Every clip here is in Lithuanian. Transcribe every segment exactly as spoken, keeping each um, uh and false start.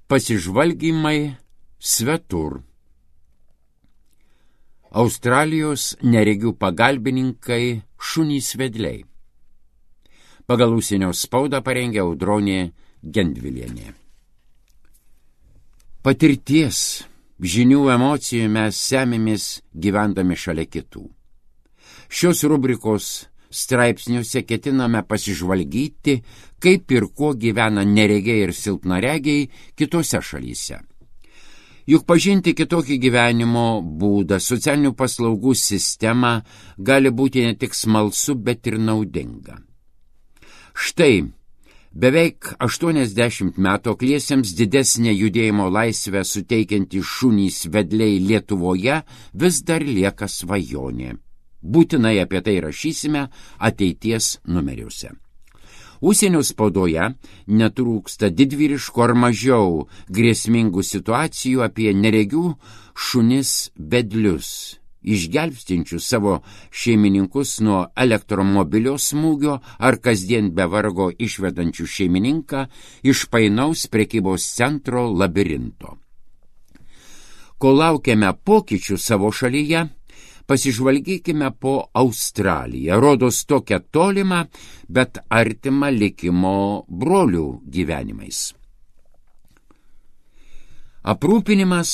Pasižvalgymai svetur. Australijos neregių pagalbininkai šunys vedliai. Pagal užsienio spaudą parengė Audronė Gendvilienė. Patirties, žinių, emocijų mes semimės gyvendami šalia kitų. Šios rubrikos straipsniuose ketiname pasižvalgyti, kaip ir kuo gyvena neregiai ir silpnaregiai kitose šalyse. Juk pažinti kitokį gyvenimo būdą, socialinių paslaugų sistemą gali būti ne tik smalsu, bet ir naudinga. Štai, beveik aštuoniasdešimt metų akliesiems didesnę judėjimo laisvę suteikiantys šunys vedliai Lietuvoje vis dar lieka svajonė. Būtinai apie tai rašysime ateities numeriuose. Užsienio spaudoje netrūksta didvyriškų ar mažiau grėsmingų situacijų apie neregių šunis vedlius, išgelbstinčių savo šeimininkus nuo elektromobilio smūgio ar kasdien be vargo išvedančių šeimininką iš painaus prekybos centro labirinto. Kol laukiame pokyčių savo šalyje, pasižvalgykime po Australiją, rodos tokią tolimą, bet artimą likimo brolių gyvenimais. Aprūpinimas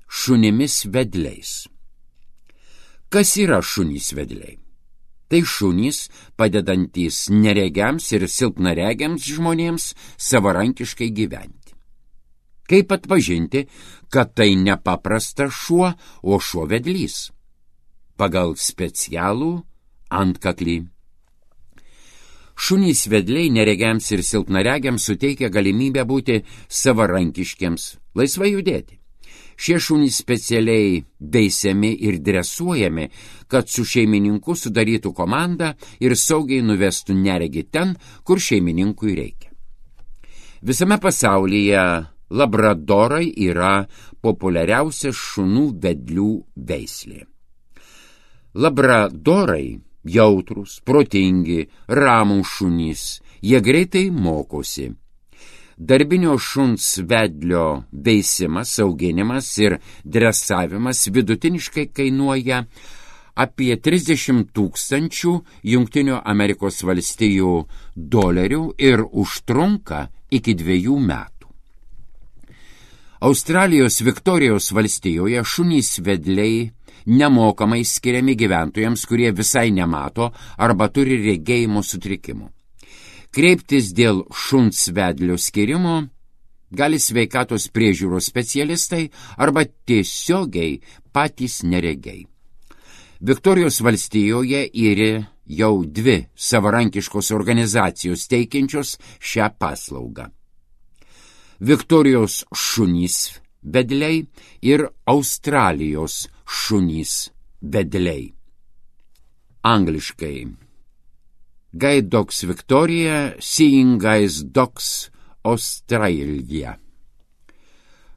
šunimis vedliais. Kas yra šunys vedliai? Tai šunys, padedantys neregiams ir silpnaregiams žmonėms savarankiškai gyventi. Kaip atpažinti, kad tai nepaprastas šuo, o šuo vedlys? Pagal specialų antkaklį. Šunys vedliai neregiams ir silpnaregiams suteikia galimybę būti savarankiškiams, laisvai judėti. Šie šunys specialiai veisiami ir dresuojami, kad su šeimininku sudarytų komandą ir saugiai nuvestų neregį ten, kur šeimininkui reikia. Visame pasaulyje labradorai yra populiariausia šunų vedlių veislė. Labradorai jautrūs, protingi, ramūs šunys, jie greitai mokosi. Darbinio šuns vedlio veisimas, auginimas ir dresavimas vidutiniškai kainuoja apie trisdešimt tūkstančių Jungtinių Amerikos valstijų dolerių ir užtrunka iki dviejų metų. Australijos Viktorijos valstijoje šunys vedliai nemokamai skiriami gyventojams, kurie visai nemato arba turi regėjimo sutrikimų. Kreiptis dėl šuns vedlio skirimo gali sveikatos priežiūros specialistai arba tiesiogiai patys neregiai. Viktorijos valstijoje yra jau dvi savarankiškos organizacijos teikiančios šią paslaugą. Viktorijos šunys vedliai ir Australijos šunys vedliai. Angliškai. Guide Dogs Victoria, Seeing Guys Dogs Australia.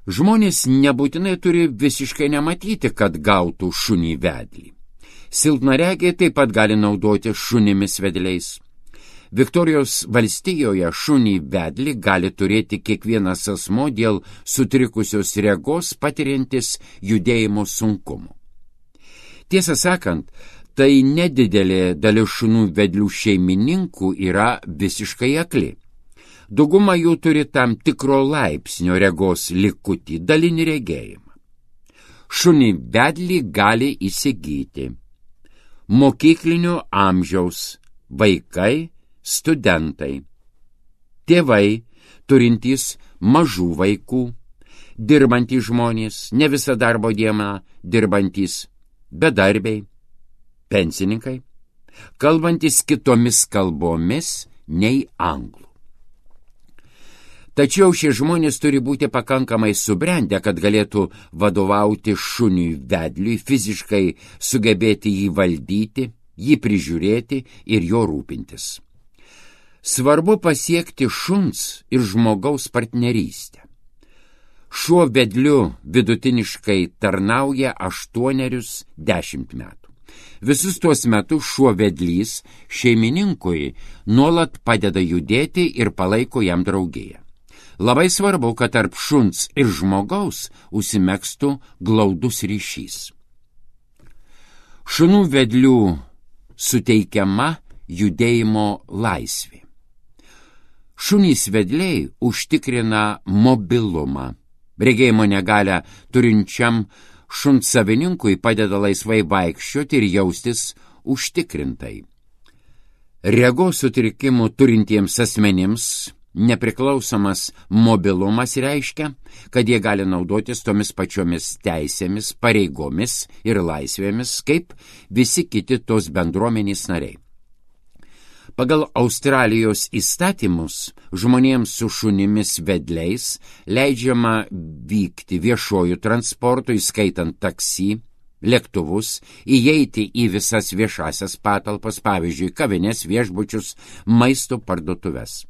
Žmonės nebūtinai turi visiškai nematyti, kad gautų šunį vedlį. Silpnaregiai taip pat gali naudoti šunimis vedliais. Viktorijos valstijoje šunį vedlį gali turėti kiekvienas asmo dėl sutrikusios regos patiriantis judėjimo sunkumų. Tiesą sakant, tai nedidelė dalis šunų vedlių šeimininkų yra visiškai akli. Dauguma jų turi tam tikro laipsnio regos likutį, dalinį regėjimą. Šunį vedlį gali įsigyti mokyklinio amžiaus vaikai, studentai, tėvai, turintys mažų vaikų, dirbantys žmonės, ne visą darbo dieną dirbantys, bedarbiai, pensininkai, kalbantys kitomis kalbomis nei anglų. Tačiau šie žmonės turi būti pakankamai subrendę, kad galėtų vadovauti šuniui vedliui, fiziškai sugebėti jį valdyti, jį prižiūrėti ir jo rūpintis. Svarbu pasiekti šuns ir žmogaus partnerystę. Šuo vedliu vidutiniškai tarnauja aštuonerius dešimt metų. Visus tuos metus šuo vedlys šeimininkui nuolat padeda judėti ir palaiko jam draugiją. Labai svarbu, kad tarp šuns ir žmogaus užsimegstų glaudus ryšys. Šunų vedlių suteikiama judėjimo laisvė. Šunys vedliai užtikrina mobilumą. Regėjimo negalią turinčiam šuns savininkui padeda laisvai vaikščioti ir jaustis užtikrintai. Regos sutrikimų turintiems asmenims nepriklausomas mobilumas reiškia, kad jie gali naudotis tomis pačiomis teisėmis, pareigomis ir laisvėmis, kaip visi kiti tos bendruomenės nariai. Pagal Australijos įstatymus žmonėms su šunimis vedliais leidžiama vykti viešuoju transportu, įskaitant taksi, lėktuvus, įeiti į visas viešasias patalpas, pavyzdžiui, kavines, viešbučius, maisto parduotuves.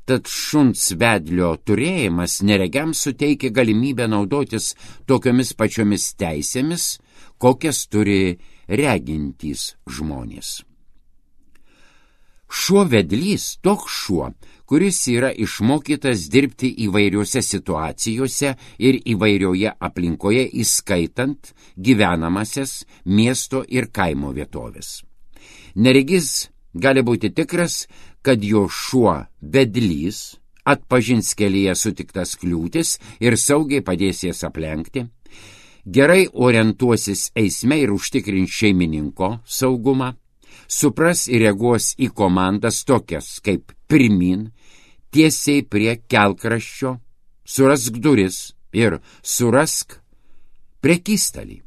Tad šuns vedlio turėjimas neregiams suteikia galimybę naudotis tokiomis pačiomis teisėmis, kokias turi regintys žmonės. Šuo vedlys toks šuo, kuris yra išmokytas dirbti įvairiuose situacijose ir įvairioje aplinkoje, įskaitant gyvenamasias miesto ir kaimo vietovės. Neregys gali būti tikras, kad jo šuo vedlys atpažins kelyje sutiktas kliūtis ir saugiai padės jas aplenkti, gerai orientuosis eisme ir užtikrins šeimininko saugumą, supras ir reaguos į komandas tokias kaip pirmin, tiesiai prie kelkraščio, surask duris ir surask prekystalį.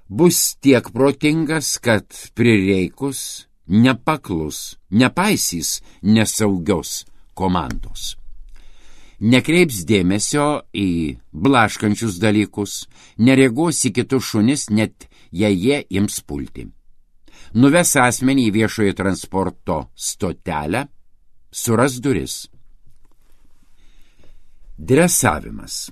Bus tiek protingas, kad prireikus nepaklus, nepaisys nesaugios komandos. Nekreips dėmesio į blaškančius dalykus, nereaguos į kitus šunis, net jei jie ims pulti. Nuves asmenį į viešojo transporto stotelę, suras duris. Dresavimas.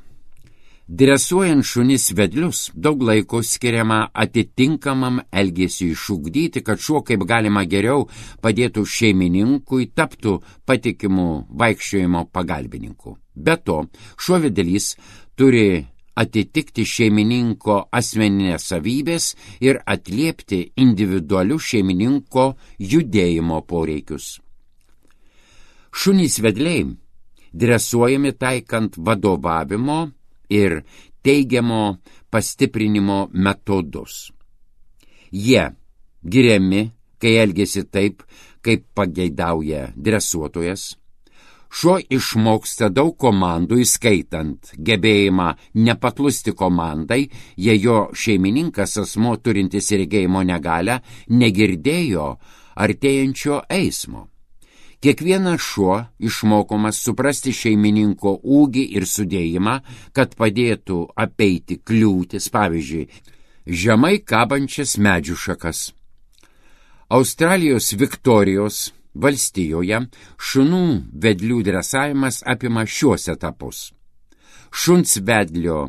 Dresuojant šunis vedlius daug laiko skiriama atitinkamam elgesiui išugdyti, kad šuo kaip galima geriau padėtų šeimininkui, taptų patikimu vaikščiojimo pagalbininku. Be to, šuo vedlys turi atitikti šeimininko asmeninės savybės ir atliepti individualių šeimininko judėjimo poreikius. Šunys vedliai dresuojami taikant vadovavimo ir teigiamo pastiprinimo metodus. Jie giriami, kai elgiasi taip, kaip pageidauja dresuotojas. Šuo išmoksta daug komandų, įskaitant gebėjimą nepaklusti komandai, jei jo šeimininkas asmuo turintis regėjimo negalią negirdėjo artėjančio eismo. Kiekvienas šuo išmokomas suprasti šeimininko ūgį ir sudėjimą, kad padėtų apeiti kliūtis, pavyzdžiui, žemai kabančias medžių šakas. Australijos Viktorijos valstijoje šunų vedlių dresavimas apima šiuos etapus. Šuns vedlio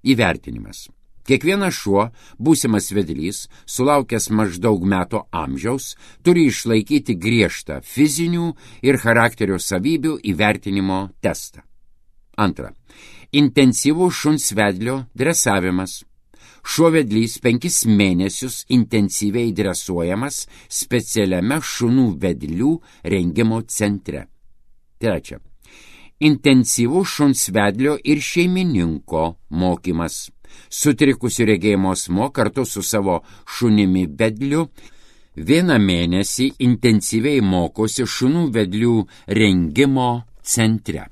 įvertinimas. Kiekvienas šuo, būsimas vedlys, sulaukęs maždaug metų amžiaus, turi išlaikyti griežtą fizinių ir charakterio savybių įvertinimo testą. Antra. Intensyvus šuns vedlio dresavimas. Šuo vedlys penkis mėnesius intensyviai dresuojamas specialiame šunų vedlių rengimo centre. Trečia. Intensyvus šuns vedlio ir šeimininko mokymas. Sutrikusių regėjimo asmuo kartu su savo šunimi vedliu vieną mėnesį intensyviai mokosi šunų vedlių rengimo centre.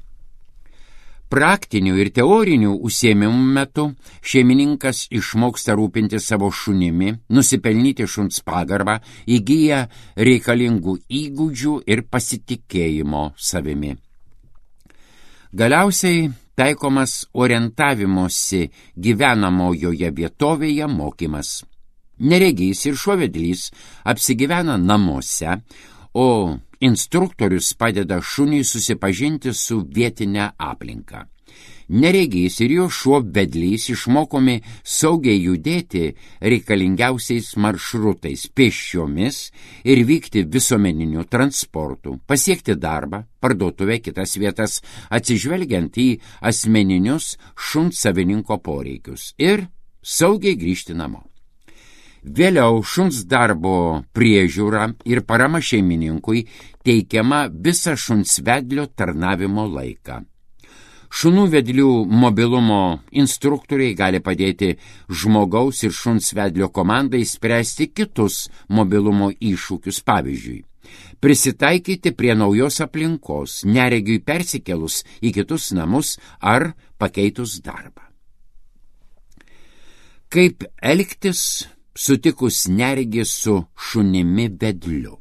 Praktinių ir teorinių užsiėmimų metu šeimininkas išmoksta rūpinti savo šunimi, nusipelnyti šuns pagarbą, įgyja reikalingų įgūdžių ir pasitikėjimo savimi. Galiausiai taikomas orientavimosi gyvenamojoje vietovėje mokymas. Neregys ir šuo vedlys apsigyvena namuose, o instruktorius padeda šuniui susipažinti su vietinė aplinka. Neregys ir jo šuo vedlys išmokomi saugiai judėti reikalingiausiais maršrutais pėsčiomis ir vykti visuomeniniu transportu, pasiekti darbą, parduotuvę, kitas vietas, atsižvelgiant į asmeninius šuns savininko poreikius ir saugiai grįžti namo. Vėliau šuns darbo priežiūra ir parama šeimininkui teikiama visą šuns vedlio tarnavimo laiką. Šunų vedlių mobilumo instruktoriai gali padėti žmogaus ir šuns vedlio komandai spręsti kitus mobilumo iššūkius, pavyzdžiui, prisitaikyti prie naujos aplinkos, neregiui persikėlus į kitus namus ar pakeitus darbą. Kaip elgtis sutikus neregį su šunimi vedliu?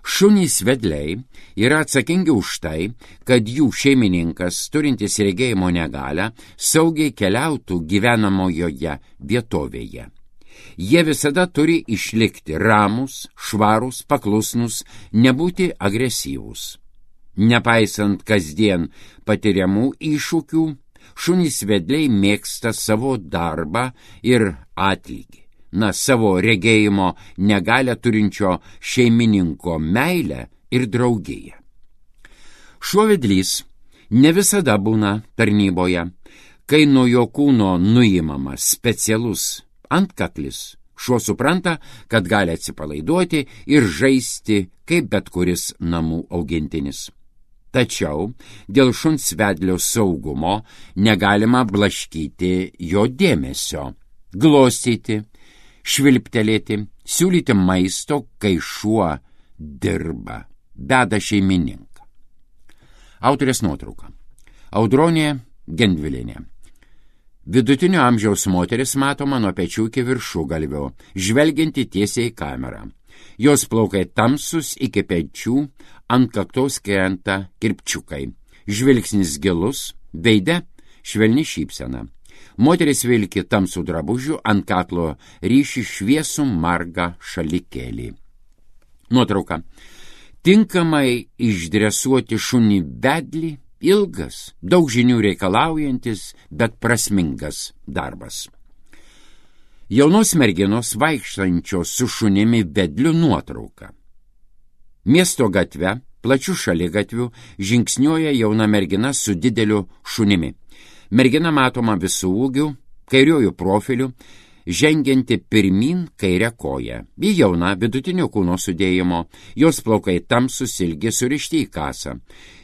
Šunys vedliai yra atsakingi už tai, kad jų šeimininkas, turintis regėjimo negalią, saugiai keliautų gyvenamojoje vietovėje. Jie visada turi išlikti ramus, švarūs, paklusnus, nebūti agresyvūs. Nepaisant kasdien patiriamų iššūkių, šunys vedliai mėgsta savo darbą ir atlygį. Na, savo regėjimo negalią turinčio šeimininko meilę ir draugiją. Šuo vedlys ne visada būna tarnyboje. Kai nuo jo kūno nuimamas specialus antkaklis, šuo supranta, kad gali atsipalaiduoti ir žaisti kaip bet kuris namų augintinis. Tačiau dėl šuns vedlio saugumo negalima blaškyti jo dėmesio, glostyti, švilptelėti, siūlyti maisto, kai šuo dirba, beda šeimininką. Autorės nuotrauka. Audronė Gendvilienė. Vidutinio amžiaus moteris matoma nuo pečių iki viršugalvio, žvelgianti tiesiai į kamerą. Jos plaukai tamsus iki pečių, ant kaktos krenta kirpčiukai. Žvilgsnis gilus, veide švelni šypsena. Moteris vilki tamsų drabužių, ant kaklo ryši šviesų margą šalikėlį. Nuotrauka. Tinkamai išdresuoti šunį vedlį ilgas, daug žinių reikalaujantis, bet prasmingas darbas. Jaunos merginos vaikštančios su šunimi vedliu nuotrauka. Miesto gatve, plačių šaligatvių, žingsniuoja jauna mergina su dideliu šunimi. Mergina matoma visų ūgių, kairiojų profilių, žengianti pirmin kairę koją. Ji jauna, vidutinio kūno sudėjimo, jos plaukai tamsus, ilgi, surišti į kasą.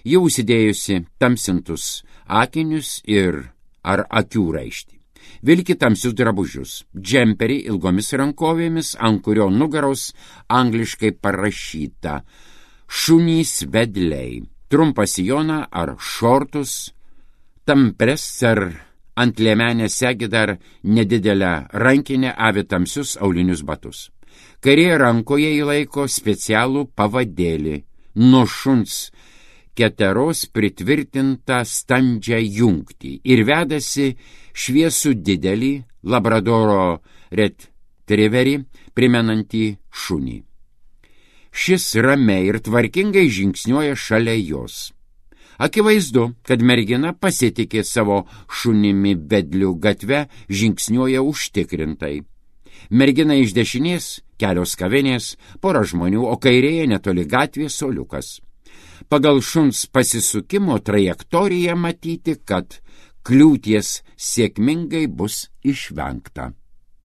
Ji užsidėjusi tamsintus akinius ir ar akių raištį. Vilki tamsius drabužius, džemperį ilgomis rankovėmis, ant kurio nugaros angliškai parašyta šunys vedliai, trumpą sijoną ar šortus, tampres ar ant liemenės segi dar nedidelę rankinę avi tamsius aulinius batus. Kairėje rankoje įlaiko specialų pavadėlį, nuo šuns keteros pritvirtintą standžią jungtį ir vedasi šviesų didelį labradoro retrieverį primenantį šunį. Šis ramiai ir tvarkingai žingsniuoja šalia jos. Akivaizdu, kad mergina pasitikė savo šunimi vedliu, gatve žingsniuoja užtikrintai. Mergina iš dešinės kelios kavinės, pora žmonių, o kairėje netoli gatvės suoliukas. Pagal šuns pasisukimo trajektoriją matyti, kad kliūties sėkmingai bus išvengta.